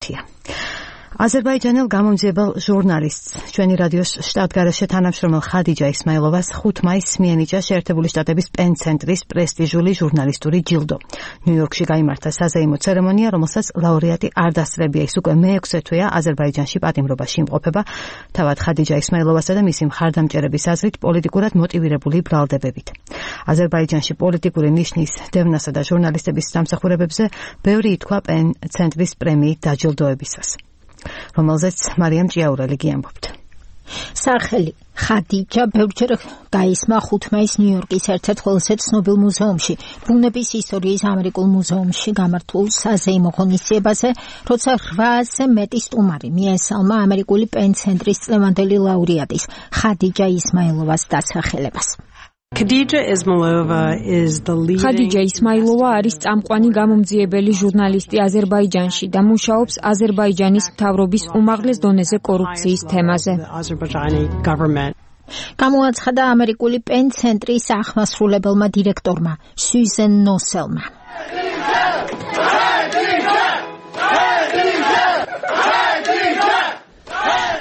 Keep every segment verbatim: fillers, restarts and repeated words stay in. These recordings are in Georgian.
მართლია. აზერბაიჯანელ გამომძიებელ ჟურნალისტს ჩვენი რადიოს შტატგარეშე თანამშრომელ ხადიჯა ისმაილოვას ხუთი მაისს მიენიჭა შეერთებული შტატების პენ ცენტრის პრესტიჟული ჟურნალისტური ჯილდო. ნიუ-იორკში გაიმართა საზეიმო ცერემონია, რომელსაც ლაურეატი არ დასწრებია. ის უკვე მეექვსე თვეა აზერბაიჯანში პატიმრობაში იმყოფება, თავად ხადიჯა ისმაილოვასა და მისი მხარდამჭერების აზრით პოლიტიკურად მოტივირებული ბრალდებებით. აზერბაიჯანში პოლიტიკური ნიშნის დევნასა და ჟურნალისტების დამსახურებებზე ბევრი ითქვა პენ ცენტრის პრემიით დაჯილდოებისას, რომელზეც მარიამ ჭიაურელი გიამბობთ. სახელი ხადიჯა ბევრჯერ გაისმა ხუთი მაისს ნიუ-იორკის ერთ-ერთ ყველაზე ცნობილ მუზეუმში, ბუნების ისტორიის ამერიკულ მუზეუმში გამართულ საზეიმო ღონისძიებაზე, როცა რვაასზე მეტი სტუმარი მიესალმა ამერიკული პენ ცენტრის წლევანდელი ლაურეატის ხადიჯა ისმაილოვას დასახელებას. Khadija Ismailova is the leading Khadija Ismailova არის წამყვანი გამომძიებელი ჟურნალისტი აზერბაიჯანში და მუშაობს აზერბაიჯანის მთავრობის უმაღლეს დონეზე კორუფციის თემაზე. გამოაცხადა ამერიკული პენ ცენტრის ახმასრულებელმა დირექტორმა სუზენ ნოსელმა.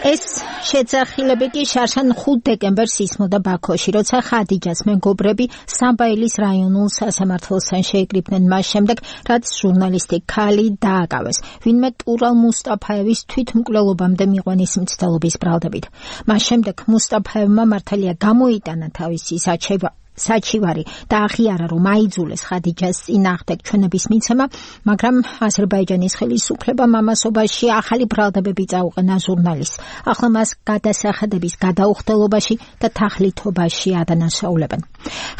ეს შეძახილები კი შარშან ხუთი დეკემბერს ისმოდა ბაქოში, როცა ხადიჯას მეგობრები სამბაილის რაიონულ სასამართლოსთან შეიკრიბნენ მას შემდეგ, რაც ჟურნალისტი ქალი დააკავეს, ვინმე ტურალ მუსტაფაევის თვითმკვლელობამდე მიყვანის მცდელობის ბრალდებით. მას შემდეგ მუსტაფაევმა მართალია გამოიტანა თავისი საჩება საჩივარი და აღიარა, რომ აიძულეს ხადიჯას წინააღმდეგ ჩვენების მიცემა, მაგრამ აზერბაიჯანის ხელისუფლებამ ამასობაში ახალი ბრალდებები წაუყენა ჟურნალისტს. ახლა მას გადასახადების გადაუხდელობაში და თაღლითობაში ადანაშაულებენ.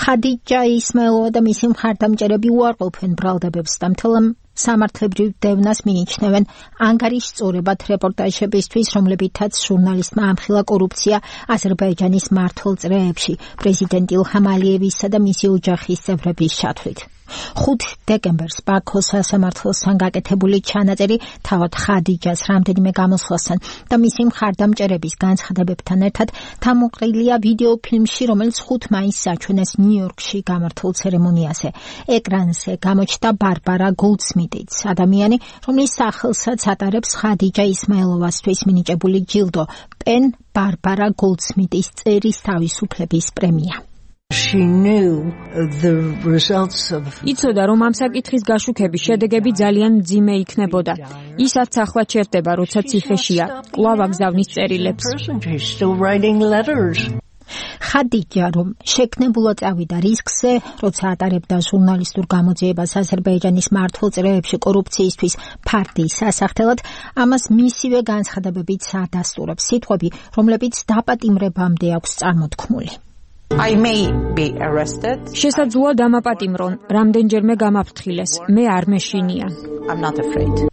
ხადიჯა ისმაილოვა და მისი მხარდამჭერები უარყოფენ ბრალდებებს და მთელ სამართლებრივ დევნას მიიჩნევენ ანგარიშწორებად რეპორტაჟებისთვის, რომლებითაც ჟურნალისტმა ამხილა კორუფცია აზერბაიჯანის მმართველ წრეებში, პრეზიდენტ ილჰამ ალიევისა და მისი ოჯახის წევრების ჩათვლით. ხუთი დეკემბერს ბაქოს სასამართლოსთან გაკეთებული ჩანაწერი თავად ხადიჯას რამდენიმე გამოსვლასთან და მისი მხარდამჭერების განცხადებებთან ერთად თავმოყრილია ვიდეო ფილმში, რომელიც ხუთი მაისს აჩვენეს ნიუ-იორკში გამართულ ცერემონიაზე. ეკრანზე გამოჩნდა ბარბარა გოლდსმიტიც, ადამიანი, რომლის სახელსაც ატარებს ხადიჯა ისმაილოვასთვის მინიჭებული ჯილდო, პენ ბარბარა გოლდსმიტის წერის თავისუფლების პრემია. She knew the results of იცოდა, რომ ამ საკითხის გაშუქების შედეგები ძალიან მძიმე იქნებოდა. ისაც ახლა ჩერდება, როცა ციხეშია, კვლავ აგზავნის წერილებს. ხადიჯა, რომ შექმნებულად წავიდა რისკზე, როცა ატარებდა ჟურნალისტურ გამოძიებას აზერბაიჯანის მმართველ წრეებში კორუფციისთვის ფარდის სასახდელად, ამას მისივე განცხადებებით ადასტურებს სიტყვები, რომლებიც დაპატიმრებამდე აქვს წარმოთქმული. I may be arrested. შესაძლოა დამაპატიმრონ, რამდენჯერმე გამაფრთხილეს. მე არ მეშინია. I'm not afraid.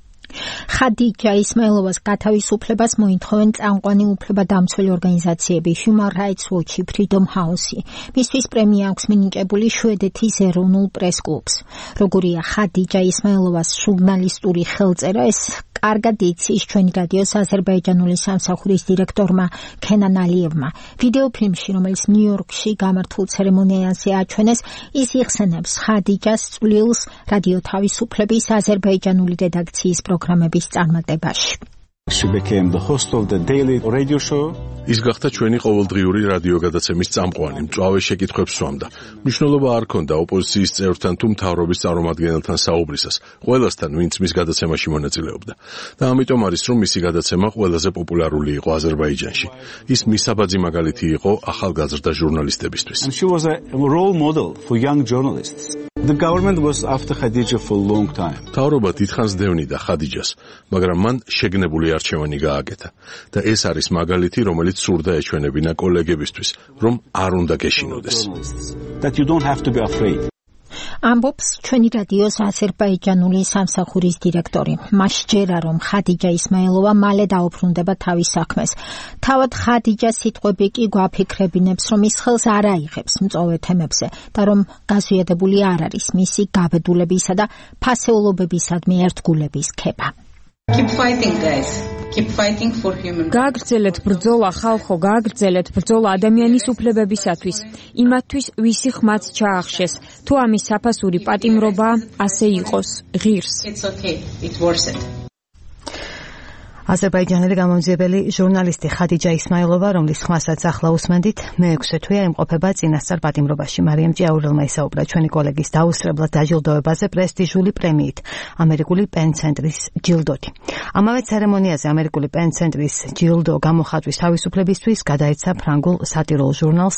ხადიჯა ისმაილოვას გათავისუფლებას მოითხოვენ წამყვანი უფლებადამცველი ორგანიზაციები Human Rights Watch, Freedom House. მისთვის პრემია აქვს მინიჭებული შვედეთის ეროვნულ პრეს კლუბს. როგორია ხადიჯა ისმაილოვას ჟურნალისტური ხელწერა, ეს კარგად იცის ჩვენი რადიოს აზერბაიჯანული სამსახურის დირექტორმა ქენან ალიევმა. ვიდეო ფილმში, რომელიც ნიუ-იორკში გამართულ ცერემონიაზე აჩვენეს, ის იხსენებს ხადიჯას წვლილს რადიო თავისუფლების აზერბაიჯანული რედაქციის პროგრამების წარმატებაში. She became the host of the daily radio show. ის გახდა ჩვენი ყოველდღიური რადიო გადაცემის წამყვანი, მწვავე შეკითხვებს სვამდა. მნიშვნელობა არ ჰქონდა ოპოზიციის წევრთან თუ მთავრობის წარმომადგენელთან საუბრისას, ყველასთან, ვინც მის გადაცემაში მონაწილეობდა. და ამიტომ არის, რომ მისი გადაცემა ყველაზე პოპულარული იყო აზერბაიჯანში. ის მისაბაძი მაგალითი იყო ახალგაზრდა ჟურნალისტებისთვის. And she was a role model for young journalists. The government was after Khadija for a long time. მთავრობა დიდხანს დევნიდა ხადიჯას, მაგრამ მან შეგნებული არჩევანი გააკეთა. და ეს არის მაგალითი, რომელიც სურდა ეჩვენებინა კოლეგებისთვის, რომ არ უნდა გეშინოდეს. That you don't have to be afraid. ამბობს ჩვენი რადიოს აზერბაიჯანული სამსახურის დირექტორი. მას ჯერა, რომ ხადიჯა ისმაილოვა მალე დაუბრუნდება თავის საქმეს. თავად ხადიჯას სიტყვები კი გვაფიქრებინებს, რომ ის ხელს არ აიღებს მწვავე თემებზე და რომ გაზვიადებული არ არის მისი გაბედულებისა და ფასეულობებისადმი ერთგულების ქება. Keep fighting, guys. Keep fighting for human rights. გააგრძელეთ ბრძოლა, ხალხო, გააგრძელეთ ბრძოლა ადამიანის უფლებებისათვის, იმათთვის, ვისი ხმაც ჩაახშეს. თუ ამის საფასური პატიმრობა, ასე იყოს, ღირს. It's okay. It's worth it. აზერბაიჯანელი გამომძიებელი ჟურნალისტი ხადიჯა ისმაილოვა, რომლის ხმასაც ახლა უსმენდით, მეექვსე თვეა იმყოფება წინასწარ პატიმრობაში. მარიამ ჭიაურელმა ისაუბრა ჩვენი კოლეგის დაუსრებლად დაჯილდოებაზე პრესტიჟული პრემიით, ამერიკული პენ ცენტრის ჯილდოთი. ამავე ცერემონიაზე ამერიკული პენ ცენტრის ჯილდო გამოხატვის თავისუფლებისთვის გადაეცა ფრანგულ სატირულ ჟურნალს